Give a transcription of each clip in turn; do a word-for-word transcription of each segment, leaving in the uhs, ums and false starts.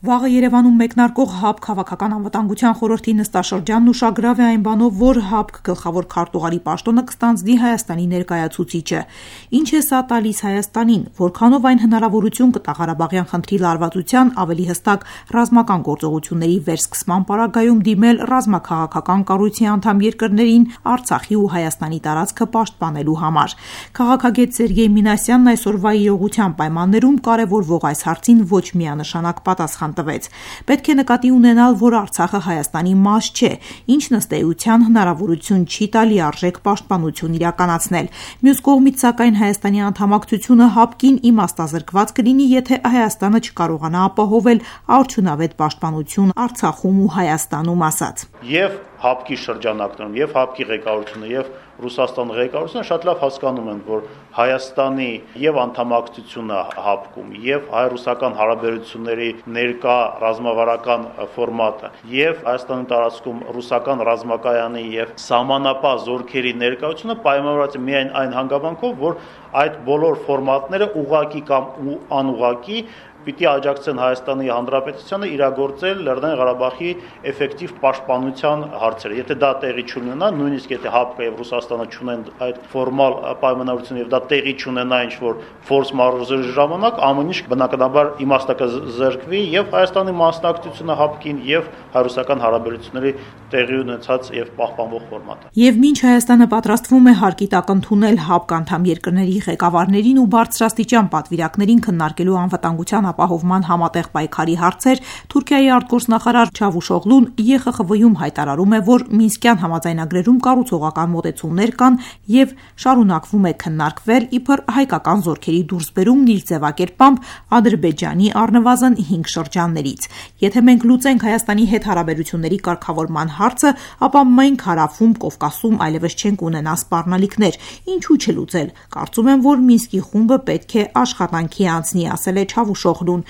Վաղը Երևանում մեկնարկող ՀԱԲԿ քաղաքական անվտանգության խորհրդի նստաշրջանն ուշագրավ է այն բանով, որ ՀԱԲԿ գլխավոր քարտուղարի պաշտոնը կստանձնի Հայաստանի ներկայացուցիչը։ Ինչ է սա տալիս Հայաստանին, որքանով այն հնարավորություն կտա Ղարաբաղյան խնդրի լարվածության ավելի հստակ ռազմական գործողությունների վերսկսման պարագայում դիմել ռազմաքաղաքական կառույցի անդամ երկրներին Արցախի ու Հայաստանի տարածքը պաշտպանելու համար։ Քաղաքագետ Սերգեյ Մինասյանն այսօրվա իրողության պայմաններում կարևորվող այս հարցին ոչ միանշանակ պատասխան տվեց։ Պետք է նկատի ունենալ, որ Արցախը Հայաստանի մաս չէ, ինչն ըստ էության հնարավորություն չի տալի արժեք պաշտպանություն իրականացնել։ Մյուս կողմից, սակայն, Հայաստանի անդամակցությունը ՀԱԲԿ-ին իմաստազրկված կլինի, եթե Հայաստանը չկարողանա ապահովել արդյունավետ պաշտպանություն Արցախում ու Հայաստանում, ասաց։ Եվ ՀԱԲԿ-ի շրջանակներում, եւ ՀԱԲԿ-ի ղեկավարությունը, եւ Ռուսաստանի ղեկավարությունը շատ լավ հասկանում են, որ Հայաստանի եւ անդամակցությունը ՀԱԲԿ-ում, եւ հայ-ռուսական հարաբերությունների ներկա ռազմավարական ֆորմատը, եւ Հայաստանի տարածքում ռուսական ռազմակայանի եւ սահմանապահ զորքերի ներկայությունը պայմանավորված է միայն այն հանգամանքով, որ այդ բոլոր ֆորմատները ուղղակի կամ անուղղակի պիտի աջակցեն Հայաստանի Հանրապետությանը իրագործել Լեռնային Ղարաբաղի էֆեկտիվ պաշտպանության հարցերը։ Եթե դա տեղի չունենա, նույնիսկ եթե ՀԱԲԿ-ը եւ Ռուսաստանը չունեն այդ ֆորմալ պայմանավորություն եւ դա տեղի չունենա ինչ-որ ֆորս մաժորի ժամանակ, ամեն ինչ բնականաբար իմաստը կզրկվի եւ Հայաստանի մասնակցությունը ՀԱԲԿ-ին եւ հայ-ռուսական հարաբերությունների տեղի ունեցած եւ պահպանվող ֆորմատը։ Եվ մինչ Հայաստանը պատրաստվում է հարկի տակ ընդունել ՀԱԲԿ անդամ երկրների ղեկավարներին ու բարձրաստիճան պատվիրակներին քննարկելու անվտանգության ապահովման համատեղ պայքարի հարցեր, Թուրքիայի արտգործնախարար Չավուշօղլուն ԵԽԽՎ-ում հայտարարում է, որ Մինսկյան համաձայնագրերում կառուցողական մոտեցումներ կան եւ շարունակվում է քննարկվել իբր հայկական զորքերի դուրսբերումն իր ձևակերպամբ Ադրբեջանի առնվազն հինգ շրջաններից։ Եթե մենք լուծենք Հայաստանի հետ հարաբերությունների կարգավորման հարցը, ապա մենք հարավում, Կովկասում այլևս չենք ունենա սպառնալիքներ։ Ինչու չլուծել։ Կարծում եմ, որ Մինսկի խումբը պետք է աշխատանքի անցնի, ասել է Չավուշօղլուն։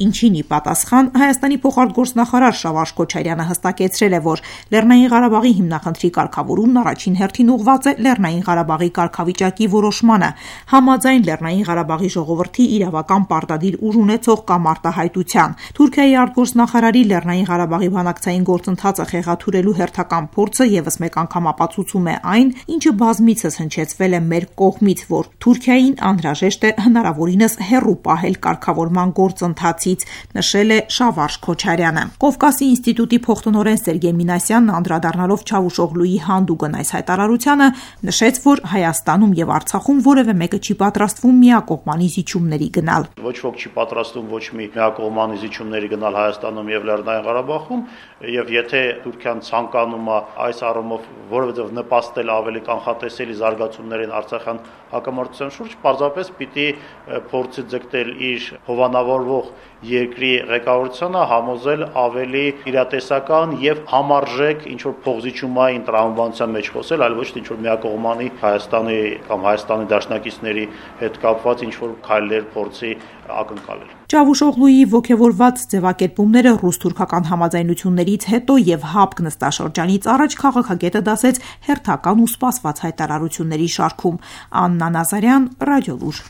Ինչին ի պատասխան Հայաստանի փոխարտգործնախարար Շավարշ Քոչարյանը հստակեցրել է, որ Լեռնային Ղարաբաղի հիմնախնդրի կարգավորումն առաջին հերթին ուղղված է Լեռնային Ղարաբաղի կարգավիճակի որոշմանը, համաձայն Լեռնային Ղարաբաղի ժողովրդի իրավական պարտադիր ուժ ունեցող կամ արտահայտության։ Թուրքիայի արտգործնախարարի Լեռնային Ղարաբաղի բանակցային գործընթացը խեղաթյուրելու հերթական փորձը եւս մեկ անգամ ապացուցում է այն, ինչը բազմիցս հնչեցվել է մեր կողմից, որ Թուրքիային անհրաժեշտ է հնարավորինս հեռու պահել կարգավորման գործընթացից, նշել է Շավարշ Քոչարյանը։ Կովկասի ինստիտուտի փոխտնօրեն Սերգեյ Մինասյանն անդրադառնալով Չավուշօղլուի հանդուգն այս հայտարարությանը նշեց, որ Հայաստանում եւ Արցախում որևէ մեկը չի պատրաստվում միակողմանի զիջումների գնալ։ Ոչ ոք չի պատրաստվում ոչ մի միակողմանի զիջումների գնալ Հայաստանում եւ Լեռնային Ղարաբաղում, եւ եթե Թուրքիան ցանկանում է այս առումով որևէ նպաստել ավելի կանխատեսելի զարգացումներին Արցախյան հակամարտության շուրջ, պարզապես պիտի փորձի ձգտել իր հովանավորվող երկրի ղեկավարությանը համոզել ավելի իրատեսական եւ համարժեք ինչ-որ փոխզիջումային տրամաբանության մեջ խոսել, այլ ոչ թե ինչ-որ միակողմանի Հայաստանի կամ Հայաստանի դաշնակիցների հետ կապված ինչ-որ քայլեր փորձի ակնկալել։ Չավուշօղլուի ոգևորված ձևակերպումները ռուս-թուրքական համաձայնություններից հետո եւ ՀԱԲԿ նստաշրջանից առաջ քաղաքագետը դասեց հերթական ու սպասված հայտարարությունների շարքում։ Աննա Նազարյան, Ռադիոլուր։